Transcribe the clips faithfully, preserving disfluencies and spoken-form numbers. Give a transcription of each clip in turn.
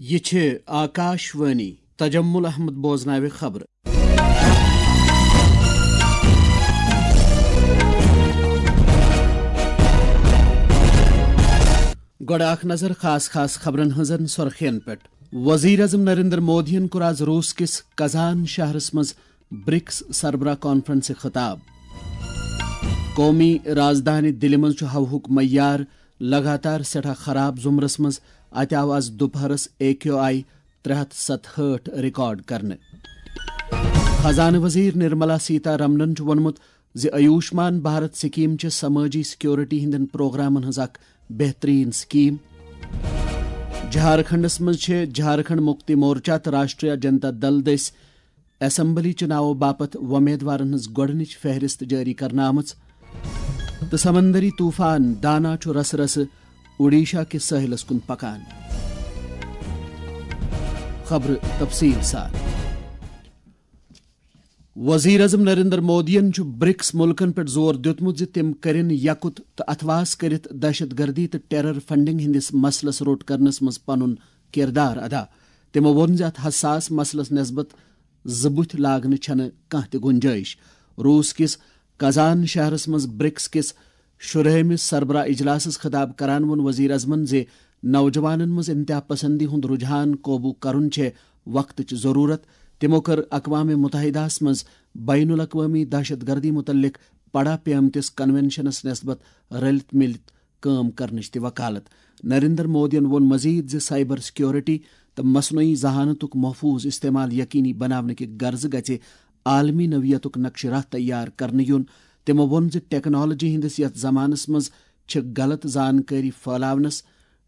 یہِ چھِ آکاش وانی۔ تجمل احمد بوزناوِ خبرٕ۔ گۄڈٕ اکھ نظر خاص خاص خبرن ہٕنٛزن سرخین پٮ۪ٹھ۔ وزیر اعظم نریندر مودیَن کوٚر آز روس کِس کزان شہرس منٛز برکس سربراہ کانفرنسہِ خطاب۔ قومی رازدانہِ دِلہِ منٛز چھُ ہوہُک معیار لگاتار سٮ۪ٹھاہ خراب زمرس منٛز۔ اتہِ آو آز دُپہرس اے کیو آئی ترٛےٚ ہتھ ستہٕ ہٲٹھ ریکارڈ کرنہٕ۔ خزانہٕ وزیر نرملا سیتا رمنن چھُ ووٚنمُت زِ آیوشمان بھارت سکیم چھِ سمٲجی سیکورٹی ہٕنٛدٮ۪ن پروگرامن ہٕنٛز اکھ بہترین سکیم۔ جھارکھنڈس منٛز چھِ جھارکھنڈ مکتی مورچہ تہٕ راشٹریہ جنتا دل دٔسۍ اسمبلی چُناوو باپتھ وۄمیدوارن ہٕنٛز گۄڈٕنِچ فہرست جٲری کرنہٕ آمٕژ تہٕ سمندری طوفان دانا چھُ رسہٕ رسہٕ اوڈیشہ کِس سٲحِلس کُن پکان۔ خبرٕ تفصیٖل سان۔ وزیر اعظم نریندر مودیَن چھُ برکس مُلکن پٮ۪ٹھ زور دیُتمُت زِ تِم کٔرِن یکُت تہٕ اتھواس کٔرِتھ دہشت گردی تہٕ ٹیرر فنڈنگ ہٕنٛدِس مسلس روٚٹ کرنس منٛز پنُن کردار ادا۔ تِمو ووٚن زِ اتھ حساس مسلس نسبت زٕ بُتھۍ لاگنہٕ چھنہٕ کانٛہہ تہِ گنجٲیش۔ روس کِس کازان شہرس منٛز برکس کِس شُرہٲمِس سربراہ اجلاسس خطاب کران ووٚن وزیر اعظمن زِ نوجوانن منٛز انتہا پسندی ہُنٛد رجحان قوبوٗ کرُن چھےٚ وقتٕچ ضروٗرت۔ تِمو کٔر اقوام متحدہس منٛز بین الاقوٲمی دہشت گردی متعلق پڑا پیمتِس کنونشنس نسبت رلِتھ مِلِتھ کٲم کرنٕچ تہِ وکالت۔ نریندر مودیَن ووٚن مزید زِ سائبر سیکورٹی تہٕ مصنوعی ذہانتُک محفوظ استعمال یقینی بناونہٕ کہِ غرضہٕ گژھِ عالمی نوعیتُک نقشہٕ راہ تیار کرنہٕ یُن۔ تِمو ووٚن زِ ٹیکنالوجی ہٕنٛدِس یَتھ زمانس منٛز چھِ غلط زانکٲری پھٲلاونس،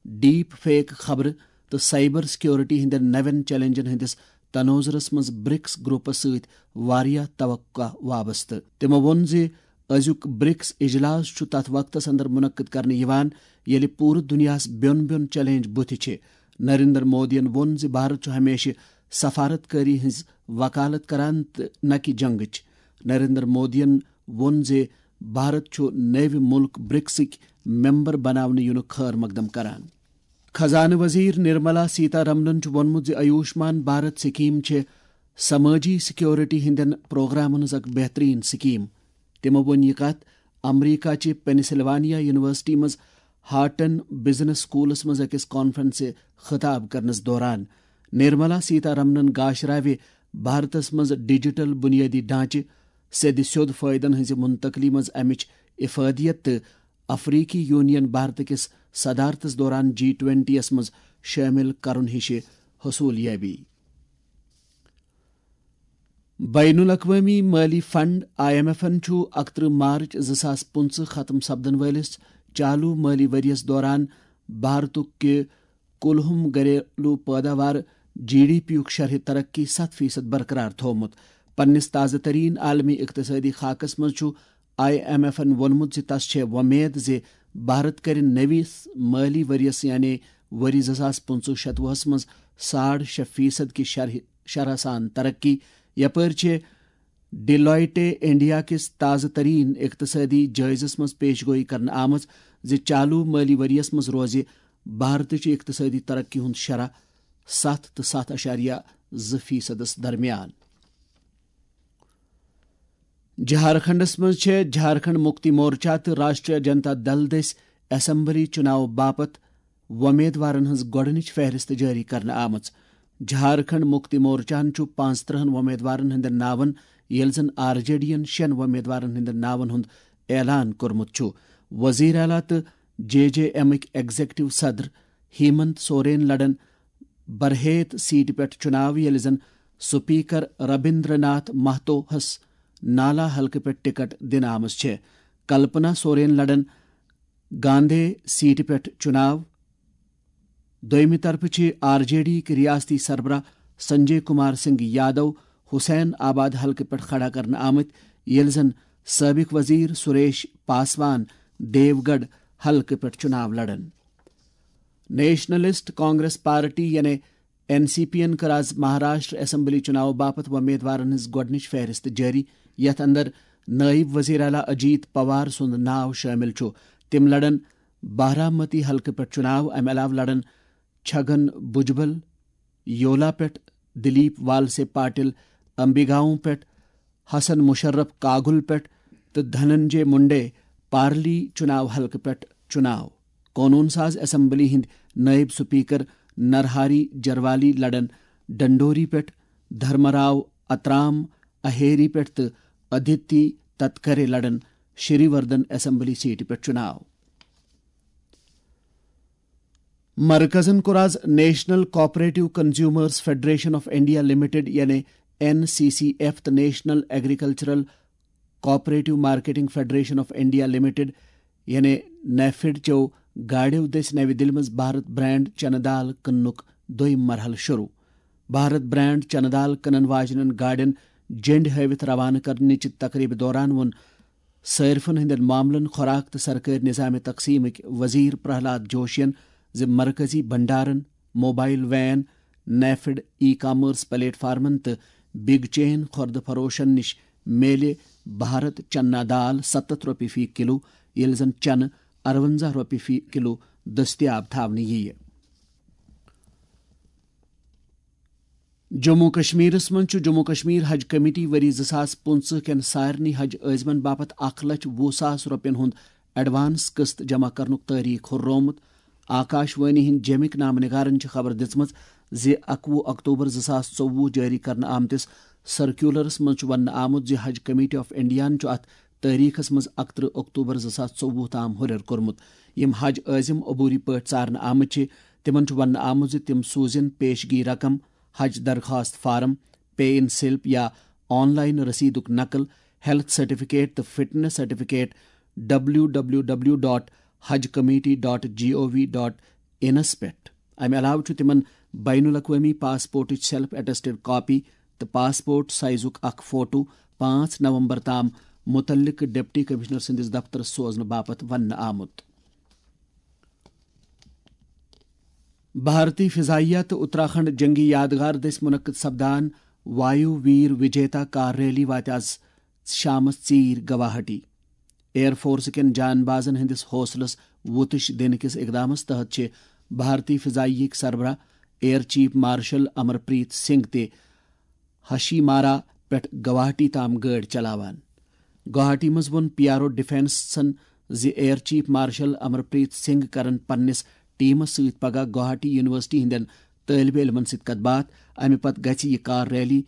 ڈیپ فیک خبرٕ تہٕ سائبر سیکورٹی ہٕنٛدٮ۪ن نوٮ۪ن چیلنجن ہٕنٛدِس تناظرس منٛز برکس گروپس سۭتۍ واریاہ توقع وابستہٕ۔ تِمو ووٚن زِ أزیُک برکس اجلاس چھُ تتھ وقتس اندر منعقد کرنہٕ یِوان، ییٚلہِ پوٗرٕ دُنیاہس بیوٚن بیوٚن چیلنج بُتھِ چھِ۔ نریندر مودیَن ووٚن زِ بھارت چھُ ہمیشہِ سفارت کٲری ہٕنٛز وکالت کران تہٕ نہ کہِ جنگٕچ۔ نریندر مودیَن ووٚن زِ بھارت چھُ نٔوۍ مُلک برکسٕکۍ ممبر بناونہٕ یِنُک خٲر مقدم کران۔ خزانہٕ وزیر نرملا سیتا رمنن چھُ ووٚنمُت زِ آیوشمان بھارت سکیم چھِ سمٲجی سیکورٹی ہٕنٛدٮ۪ن پروگرامن ہٕنٛز اکھ بہترین سکیم۔ تِمو ووٚن یہِ کتھ امریکہ چہِ پینسلوانیا یونیورسٹی منٛز ہارٹن بزنس سکولس منٛز أکِس کانفرنسہِ خطاب کرنس دوران۔ نرملا سیتا رمنن گاشراوِ بھارتس منٛز ڈیجیٹل بنیٲدی ڈھانچہٕ، سیٚدِ سیوٚد فٲیدن ہٕنٛزِ منتقلی منٛز امِچ افادیت تہٕ افریقی یونین بھارت کِس صدارتس دوران جی ٹوینٹی یس منٛز شٲمِل کرُن ہِشہِ حصوٗل یٲبی۔ بین الاقوٲمی مٲلی فنڈ آئی ایم ایفن چھُ اکترٕہ مارچ زٕ ساس پٕنٛژٕہ ختم سپدن وٲلِس چالو مٲلی ؤرۍ یَس دوران بھارتُک کہِ کُلہُم گھریلو پٲداوار، جی ڈی پی یُک شرح ترقی ستھ فیصد برقرار تھوومُت۔ پننِس تازٕ ترین عالمی اقتصٲدی خاکس منٛز چھُ آئی ایم ایفن ووٚنمُت زِ تس چھےٚ وۄمید زِ بھارت کرِ نٔوِس مٲلی ؤرۍ یَس یعنی ؤری زٕ ساس پٕنٛژٕہ شتوُہس منٛز ساڑ شےٚ فیصد کہِ شرح شرح سان ترقی۔ یپٲرۍ چھِ ڈیلائٹے انڈیا کِس تازٕ ترین اقتصٲدی جٲیزس منٛز پیش گوئی کرنہٕ آمٕژ زِ چالو مٲلی ؤرۍ یَس منٛز روزِ بھارتٕچ اقتصٲدی ترقی ہُنٛد شرح ستھ تہٕ ستھ اعشاریہ زٕ فیصدس درمیان۔ جھارکھنڈس منٛز چھےٚ جھارکھنڈ مکتی مورچہ تہٕ راشٹریہ جنتا دل دٔسۍ اسمبلی چُناو باپتھ وۄمیدوارن ہٕنٛز گۄڈٕنِچ فہرست جٲری کرنہٕ آمٕژ۔ جھارکھنڈ مکتی مورچاہن چھُ پانٛژترٕہن وۄمیدوارن ہٕنٛدٮ۪ن ناون، ییٚلہِ زن آر جے ڈی ین شٮ۪ن وۄمیدوارن ہٕنٛدٮ۪ن ناون ہُنٛد اعلان کوٚرمُت چھُ۔ وزیر اعلیٰ تہٕ جے جے ایمٕکۍ ایگزیکٹو صدر ہیمنت سورین لڑن برہیت سیٹہِ پٮ۪ٹھ چُناو، ییٚلہِ زن سپیکر ربیندر ناتھ مہتوہس نالا حلقہٕ پٮ۪ٹھ ٹکٹ دِنہٕ آمٕژ چھےٚ۔ کلپنا سورین لڑن گاندھی سیٹہِ پٮ۪ٹھ چُناو۔ دوٚیمہِ طرفہٕ چھِ آر جے ڈی یِکۍ ریاستی سربراہ سنجے کمار سنگھ یادو حسین آباد حلقہٕ پٮ۪ٹھ کھڑا کرنہٕ آمٕتۍ، ییٚلہِ زن سٲبق وزیر سریش پاسوان دیو گڑھ حلقہٕ پٮ۪ٹھ چُناو لڑن۔ نیشنلسٹ کانگریس پارٹی یعنی این سی پی ین کٔر آز مہاراشٹر اسمبلی چُناو باپتھ وۄمیدوارن ہٕنٛز گۄڈٕنِچ فہرست جٲری، یتھ اندر نٲیِب وزیر اعلیٰ اجیت پوار سُنٛد ناو شٲمِل چھُ۔ تِم لڑن بارامتی حلقہٕ پٮ۪ٹھ چُناو۔ امہِ علاوٕ لڑن چھگن بھجبل، یولا پٮ۪ٹھ، دلیپ والسے پاٹل امبیگاؤں پٮ۪ٹھ، حسن مشرف کاگل پٮ۪ٹھ تہٕ دھننجے منڈے پارلی چناو حلقہٕ پٮ۪ٹھ چناو۔ قونوٗن ساز اسمبلی ہٕنٛدۍ نٲیِب سپیکر نرہاری جروالی لڑن ڈنڈوری پٮ۪ٹھ، دھرمراو اترام اہیری پٮ۪ٹھ تہٕ ادھتی تتکرے لڑن شری وردھن اسمبلی سیٹہِ پٮ۪ٹھ چناو۔ مرکزن کوٚر آز national cooperative consumers federation of India limited یعنی این سی سی ایف تہٕ national agricultural cooperative marketing federation of India limited یعنی نیفڈ چیو گاڑیو دٔسۍ نَوِ دِلہِ منٛز بھارت برانڈ چنہٕ دال کٕننُک دوٚیم مرحلہٕ شروع۔ بھارت برانڈ چنہٕ دال کٕنن واجنٮ۪ن گاڑٮ۪ن جنڈ ہٲوِتھ روانہٕ کرنٕچہِ تقریبہِ دوران ووٚن صٲرفن ہٕنٛدٮ۪ن معاملن، خوراک تہٕ سرکٲرۍ نظام تقسیمٕکۍ وزیر پرہلاد جوشین زِ مرکزی بھنڈارن، mobile van, NAFED e commerce plate فارمن تہٕ بگ چین خوردٕ فروشن نِش میلہِ بھارت چنا دال ستتھ رۄپیہِ فی کلو، ییٚلہِ زن چنہٕ ارونزہ رۄپیہِ فی کلو دٔستیاب تھاونہٕ یِیہِ۔ جموں کشمیرس منٛز چھُ جموں کشمیر حج کمیٹی ؤری زٕ ساس پٕنٛژٕہ کٮ۪ن سارنٕے حج عٲزمن باپتھ اکھ لچھ وُہ ساس رۄپین ہُنٛد ایڈوانس قسط جمع کرنُک تٲریخ ہُررومُت۔ آکاش وانی ہٕنٛدۍ جیمٕکۍ نامہٕ نگارن چھِ خبر دِژمٕژ زِ اَکوُہ اکتوبر زٕ ساس ژوٚوُہ جٲری کرنہٕ آمتِس سرکیولرس منٛز چھُ وننہٕ آمُت زِ حج کمیٹی آف انڈیاہن چھُ اتھ تٲریخس منٛز اکترٕہ اکتوبر زٕ ساس ژوٚوُہ تام ہُرٮ۪ر کوٚرمُت۔ یِم حج عٲزم عبوری پٲٹھۍ ژارنہٕ آمٕتۍ چھِ، تِمن چھُ وننہٕ آمُت زِ تِم سوزن پیشگی رقم، حج درخواست فارم، پے ان سلپ یا آن لائن رسیدُک نقل، ہیلتھ سرٹیفکیٹ تہٕ fitness certificate W W W dot حج کمیٹی ڈاٹ جی او وی ڈاٹ انس پٮ۪ٹھ۔ امہِ علاوٕ چھُ تِمن بین الاقوٲمی پاسپورٹٕچ سیلف اٹیسٹڈ کاپی تہٕ پاسپورٹ سائزُک اکھ فوٹو پانٛژھ نومبر تام متعلقہٕ ڈپٹی کمشنر سٕنٛدِس دفترس سوزنہٕ باپتھ وننہٕ آمُت۔ بھارتی فضائیہ تہٕ اتراکھنڈ جنگی یادگار دٔسۍ منعقد سپدان وایو ویر وجیتا کار ریلی واتہِ آز شامس ژیٖرۍ گواہاٹی۔ ایئر فورس کٮ۪ن جان بازن ہٕنٛدِس حوصلس وُتٕش دِنہٕ کِس اقدامس تحت چھِ بھارتی فضائیہ ہٕکۍ سربراہ ایئر چیف مارشل امر پریت سنگھ تہِ ہشی مارا پٮ۪ٹھ گواہاٹی تام گٲڑۍ چلاوان۔ گواہاٹی منٛز ووٚن پی آر او ڈیفنسن زِ ایئر چیف مارشل امر پریت سنگھ کرن پننِس ٹیمس سۭتۍ پگاہ گواہاٹی یونیورسٹی ہٕنٛدٮ۪ن طٲلبہِ علمن سۭتۍ کتھ باتھ۔ امہِ پتہٕ گژھِ یہِ کار ریلی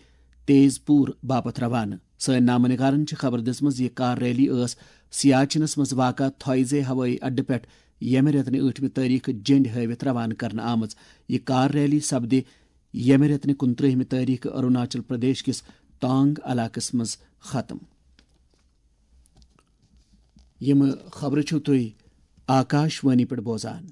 تیز پور باپتھ روانہٕ۔ سٲنۍ نامہٕ نگارن چھِ خبر دِژمٕژ زِ یہِ کار ریلی ٲس سیاچنس منٛز واقع تھوئیزے ہوٲیی اڈٕ پٮ۪ٹھ ییٚمہِ رٮ۪تہٕ ٲٹھمہِ تٲریخہٕ جنڈ ہٲوِتھ روانہٕ کرنہٕ آمٕژ۔ یہِ کار ریلی سپدِ ییٚمہِ رٮ۪تہٕ کُنترٛہمہِ تٲریخہٕ اروناچل پردیش کِس تانگ علاقس منٛز ختم۔ یِم خبرٕ چھِو تُہۍ آکاش وانی پٮ۪ٹھ بوزان۔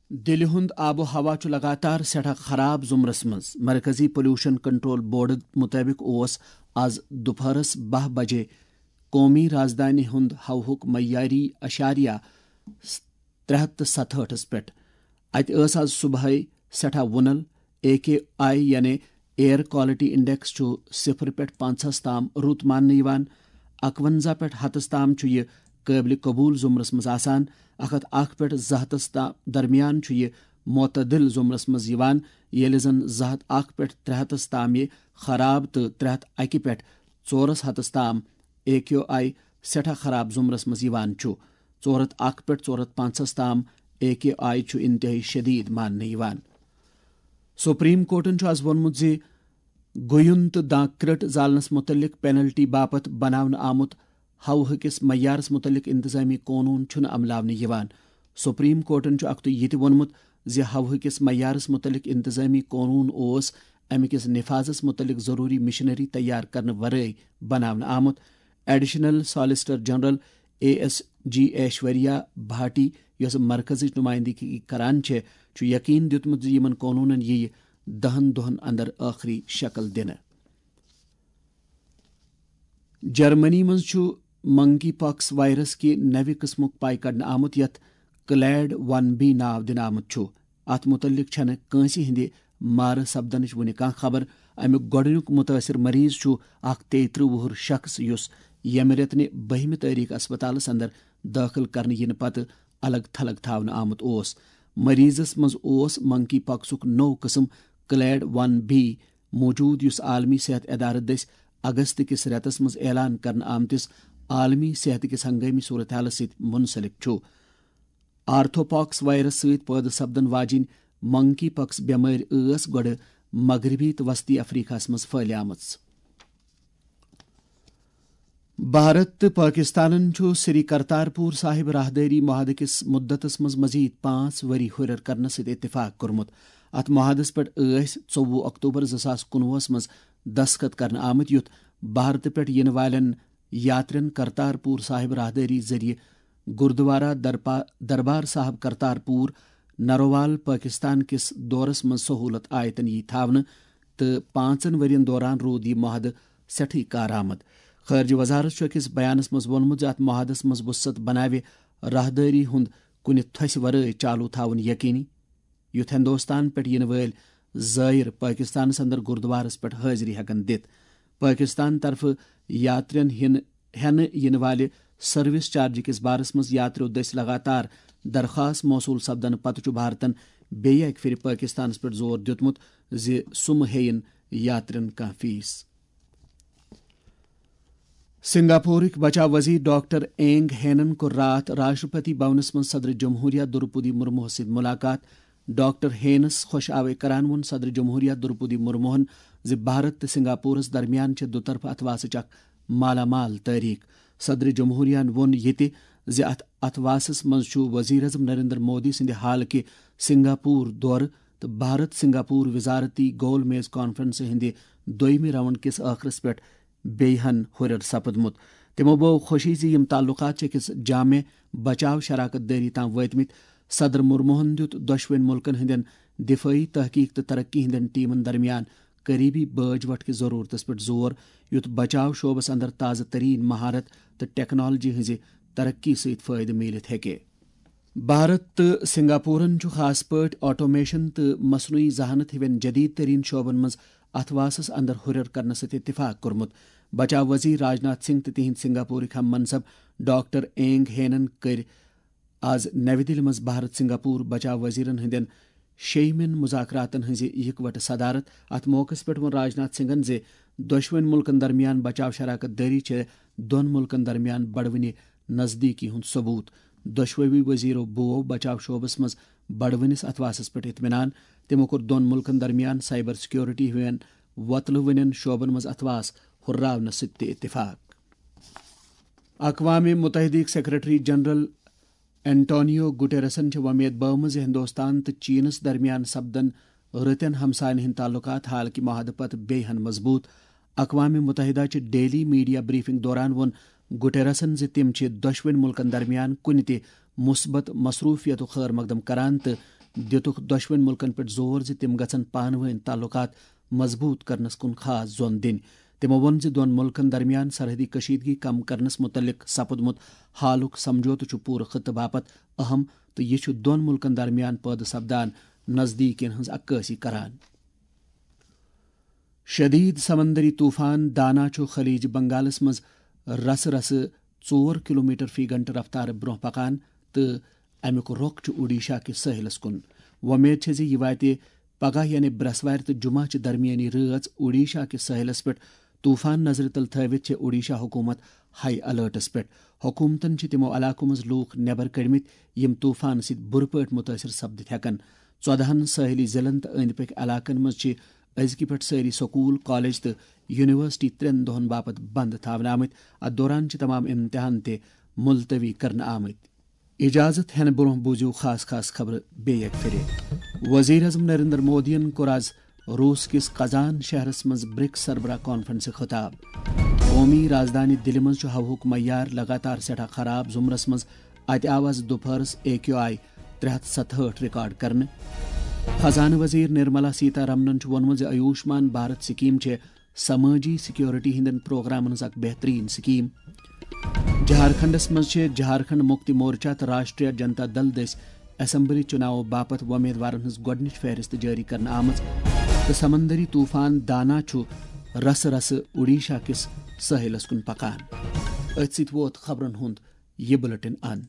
دِلہِ ہُنٛد آب و ہوا چھُ لگاتار سٮ۪ٹھاہ خراب زُمرس منٛز۔ مرکزی پولوشن کنٹرول بورڈٕ مُطٲبِق اوس آز دُپہرس باہ بجے قومی رازدانہِ ہُنٛد ہوہُک معیاری اشاریہ ترٛےٚ ہتھ تہٕ ستہٲٹھس پٮ۪ٹھ۔ اتہِ ٲس آز صبحٲے سٮ۪ٹھاہ وُنل۔ اے کیو آئی یعنی ایئر کوالٹی انڈیکس چھُ صفر پٮ۪ٹھ پانٛژہس تام رُت ماننہٕ یِوان۔ اکونزہ پٮ۪ٹھ ہتس تام چھُ یہِ قٲبلِ قبوٗل زُمرس منٛز آسان۔ اکھ ہتھ اکھ پٮ۪ٹھ زٕ ہتس تام درمیان چھُ یہِ معتدل زُمرس منٛز یِوان، ییٚلہِ زن زٕ ہتھ اکھ پٮ۪ٹھ ترٛےٚ ہتس تام یہِ خراب تہٕ ترٛےٚ ہتھ اکہِ پٮ۪ٹھ ژورس ہتس تام اے کیو آئی سٮ۪ٹھاہ خراب زُمرس منٛز یِوان چھُ۔ ژور ہتھ اکھ پٮ۪ٹھ ژور ہتھ پانٛژہس تام اے کیو آئی چھُ انتہٲئی شدید ماننہٕ یِوان۔ سپریم کورٹن چھُ آز ووٚنمُت زِ گویُن تہٕ دانٛکرٛٹ زالنس مُتعلق پینلٹی باپتھ بناونہٕ آمُت ہوہہٕ کِس معیارس مُتعلق انتظامی قونوٗن چھُنہٕ عملاونہٕ یِوان۔ سپریم کورٹن چھُ اکھتُے یہِ تہِ ووٚنمُت زِ ہوہہٕ کِس معیارس مُتعلق انتظامی قونوٗن اوس امہِ کِس نفاذس مُتعلق ضروٗری مشینری تیار کرنہٕ ورٲے بناونہٕ آمُت۔ Additional solicitor general A S G Aishwarya Bhati, یۄسہٕ مرکزٕچ نمائندگی کران چھےٚ، چھُ یقین دیُتمُت زِ یِمَن قونوٗنَن یِیہِ دَہَن دۄہَن اندر ٲخری شکل دِنہٕ۔ جرمنی منٛز چھُ منکی پاکس وائرس کہِ نَوِ قٕسمُک پَے کڑنہٕ آمُت، یَتھ کلیڈ ون بی ناو دِنہٕ آمُت چھُ۔ اَتھ مُتعلِق چھَنہٕ کٲنٛسہِ ہٕنٛدِ مارٕ سپدنٕچ وُنہِ کانٛہہ خبر۔ اَمیُک گۄڈٕنیُک مُتٲثِر مریض چھُ اکھ تیٚیہِ ترٕٛہ وُہُر شخص، یُس ییٚمہِ رٮ۪تہٕ نہِ بٔہمہِ تٲریخ اسپتالَس اندر دٲخل کرنہٕ یِنہٕ پتہٕ الگ تھلگ تھاونہٕ آمُت اوس۔ مریضس منٛز اوس منکی پاکسُک نوٚو قٕسم کلیڈ ون بی موجود، یُس عالمی صحت ادارٕ دٔسۍ اگست کِس رٮ۪تس منٛز اعلان کرنہٕ آمتِس عالمی صحت کِس ہنگٲمی صورتحالس سۭتۍ منسلک چھُ۔ آرتھوپاکس وائرس سۭتۍ پٲدٕ سپدن واجیٚنۍ منکی پاکس بٮ۪مٲرۍ ٲس گۄڈٕ مغربی تہٕ وسطی افریقہس منٛز پھٔہلیمٕژ۔ بھارت تہٕ پٲکستانن چھُ سری کرتارپور صاحب راہدٲری معاہدٕ کِس مُدتس منٛز مزید پانٛژھ ؤری ہُرٮ۪ر کرنس سۭتۍ اتفاق کوٚرمُت۔ اتھ معاہدس پٮ۪ٹھ ٲسۍ ژوٚوُہ اکتوبر زٕ ساس کُنوُہس منٛز دستخط کرنہٕ آمٕتۍ، یُتھ بھارتہٕ پٮ۪ٹھ یِنہٕ والٮ۪ن یاترین کرتارپور صاحب راہدٲری ذٔریعہٕ گردوارہ درپا-، دربار صاحب کرتارپور نروال پٲکستان کِس دورس منٛز سہولت آیتن یی تھاونہٕ، تہٕ پانٛژن ؤرین دوران روٗد یہِ معاہدٕ سٮ۪ٹھٕے کارآمد۔ خارجہ وزارت چھُ أکِس بیانس منٛز ووٚنمُت زِ اتھ معاہدس منٛز وُسعت بناوِ راہدٲری ہُنٛد کُنہِ تھوٚسہِ ورٲے چالو تھاوُن یقینی، یُتھ ہندوستان پٮ۪ٹھ یِنہٕ وٲلۍ زائر پٲکستانس اندر گردوارس پٮ۪ٹھ حٲضری ہٮ۪کن دِتھ۔ پٲکستان طرفہٕ یاترین ہن-، ہٮ۪نہٕ یِنہٕ والہِ سروس چارج کِس بارس منٛز یاتریو دٔسۍ لگاتار درخواست موصول سپدنہٕ پتہٕ چھُ بھارتن بیٚیہِ اکہِ پھِرِ پٲکستانس پٮ۪ٹھ زور دیُتمُت زِ سُہ مہٕ ہیٚیِن یاترین کانٛہہ فیس۔ سنگاپورٕکۍ بچاو وزیر ڈاکٹر اینگ ہینن کوٚر راتھ راشٹرپتی بھونس منٛز صدر جمہوریہ درپودی مرموہس سۭتۍ ملاقات۔ ڈاکٹر ہینس خوش آوے کران ووٚن صدر جمہوریہ درپودی مرموہن زِ بھارت تہٕ سنگاپورس درمیان چھِ دُطرفہٕ اتھواسٕچ اکھ مالا مال تٲریخ۔ صدر جمہوریہن ووٚن یہِ تہِ زِ اتھ اتھواسس منٛز چھُ وزیر اعظم نریندر مودی سٕنٛدِ حالکہِ سنگاپور دورٕ تہٕ بھارت سنگاپور وزارتی گول میز کانفرنسہِ ہٕنٛدِ دوٚیمہِ راؤنڈ کِس ٲخرس پٮ۪ٹھ بیٚیہِ ہن ہُرٮ۪ر سپدمُت۔ تِمو بٲو خوشی زِ یِم تعلقات چھِ أکِس جامع بچاو شراکت دٲری تام وٲتمٕتۍ۔ صدر مرموہن دیُت دۄشوٕنۍ مُلکن ہٕنٛدٮ۪ن دفٲعی تحقیق تہٕ ترقی ہٕنٛدٮ۪ن ٹیمن درمیان قریبی بٲج وٹھ کِس ضرورتس پٮ۪ٹھ زور، یُتھ بچاو شعبس اندر تازٕ ترین مہارت تہٕ ٹیکنالوجی ہٕنٛزِ ترقی سۭتۍ فٲیدٕ میٖلِتھ ہیٚکہِ۔ بھارت تہٕ سنگاپورن چھُ خاص پٲٹھۍ آٹومیشن تہٕ مصنوعی ذہانت ہِوٮ۪ن جدید ترین شعبن منٛز اتھواسس اندر ہُرٮ۪ر کرنس سۭتۍ اتفاق کوٚرمُت۔ بچاو وزیر راجناتھ سنگھ تہٕ تِہنٛدۍ سنگاپورٕکۍ ہم منصب ڈاکٹر اینگ ہینن کٔرۍ آز نَوِ دِلہِ منٛز بھارت سنگاپور بچاو وزیرن ہٕنٛدٮ۪ن شیٚیِمٮ۪ن مذاکراتن ہٕنٛزِ اِکوٹہٕ صدارت۔ اتھ موقعس پٮ۪ٹھ ووٚن راجناتھ سنگھن زِ دۄشوٕنۍ مُلکن درمیان بچاو شراکت دٲری چھےٚ دۄن مُلکن درمیان بڑوٕنہِ نزدیکی ہُنٛد ثبوت۔ دۄشوٕے وزیرو بوو بچاو شعبس منٛز بڑوٕنِس اتھواسس پٮ۪ٹھ اطمینان۔ تِمو کوٚر دۄن مُلکن درمیان سائبر سیکیورٹی ہِوٮ۪ن وۄتلوٕنٮ۪ن شعبن منٛز اتھواس ہُرراونس سۭتۍ تہِ اتفاق۔ اقوام متحدہٕکۍ سیکرٹری جنرل اینٹونیو گوٹیرسن چھِ وۄمید بٲومٕژ زِ ہندوستان تہٕ چینس درمیان سپدن رٕتٮ۪ن ہمساین ہٕنٛدۍ تعلقات حالکہِ معاہدٕ پتہٕ بیٚیہِ ہن مضبوط۔ اقوام متحدہ چہِ ڈیلی میڈیا بریفنگ دوران ووٚن گوٹیرسن زِ تِم چھِ دۄشوٕنۍ مُلکن درمیان کُنہِ تہِ مثبت مصروفیتُک خٲر مقدم کران تہٕ دِتُکھ دۄشوٕنۍ مُلکن پٮ۪ٹھ زور زِ تِم گژھن پانہٕ وٲنۍ تعلقات مضبوط کرنس کُن خاص زون دِنۍ۔ تِمو ووٚن زِ دۄن مُلکن درمیان سرحدی کشیدگی کم کرنس مُتعلق سپُدمُت حالُک سمجھوتہٕ چھُ پوٗرٕ خطہٕ باپتھ اہم تہٕ یہِ چھُ دۄن مُلکن درمیان پٲدٕ سپدان نزدیٖکین ہٕنٛز عکٲسی کران۔ شدید سمندری طوفان دانا چھُ خلیج بنگالس منٛز رسہٕ رسہٕ ژور کلومیٹر فی گھنٹہٕ رفتارٕ برٛونٛہہ پکان تہٕ امیُک رۄخ چھُ اوڈیشہ کِس سٲحِلس کُن۔ وۄمید چھےٚ زِ یہِ واتہِ پگاہ یعنی برٛٮ۪سوارِ تہٕ جمعہ چہِ درمیٲنی رٲژ اوڈیشہ کِس سٲحِلس پٮ۪ٹھ۔ طوفان نظرِ تل تھٲوِتھ چھےٚ اوڈیشہ حکوٗمت ہائی الرٹس پٮ۪ٹھ۔ حکوٗمتن چھِ تِمو علاقو منٛز لوٗکھ نٮ۪بر کٔڑمٕتۍ، یِم طوفان سۭتۍ بُرٕ پٲٹھۍ مُتٲثِر سپدِتھ ہٮ۪کن۔ ژۄدہن سٲحِلی ضلعن تہٕ أنٛدۍ پٔکۍ علاقن منٛز چھِ أزکہِ پٮ۪ٹھ سٲری سکوٗل، کالج تہٕ یونیورسٹی ترٛٮ۪ن دۄہن باپتھ بنٛد تھاونہٕ آمٕتۍ۔ اتھ دوران چھِ تمام امتحان تہِ ملتوی کرنہٕ آمٕتۍ۔ اجازت ہٮ۪نہٕ برٛونٛہہ بوٗزِو خاص خاص خبرٕ بیٚیہِ اکہِ پھِرِ۔ وزیر اعظم نریندر مودیَن کوٚر آز روس کِس قزان شہرس منٛز برکس سربراہ کانفرنسہِ خطاب۔ قومی رازدانی دِلہِ منٛز چھُ ہوہُک معیار لگاتار سٮ۪ٹھاہ خراب۔ زُمرس منٛز اتہِ آو آز دُپہرس اے کیو آئی ترٛےٚ ہتھ ستہٕ ہٲٹھ ریکارڈ کرنہٕ۔ خزانہٕ وزیر نرملا سیتا رمنن چھُ ووٚنمُت زِ آیوشمان بھارت سکیٖم چھےٚ سمٲجی سیکیورٹی ہٕنٛدٮ۪ن پروگرامن ہٕنٛز اکھ بہترین سکیٖم۔ جھارکھنڈس منٛز چھِ جھارکھنڈ مکتی مورچہ تہٕ راشٹریہ جنتا دل دٔسۍ اسمبلی چُناوو باپتھ وۄمیدوارن ہٕنٛز گۄڈٕنِچ فہرست جٲری کرنہٕ آمٕژ تہٕ سمندری طوفان دانا چھُ رسہٕ رسہٕ اوڈیشہ کِس سٲحِلس کُن پکان۔ أتھۍ سۭتۍ ووت خبرن ہُنٛد یہِ بُلٹن اند۔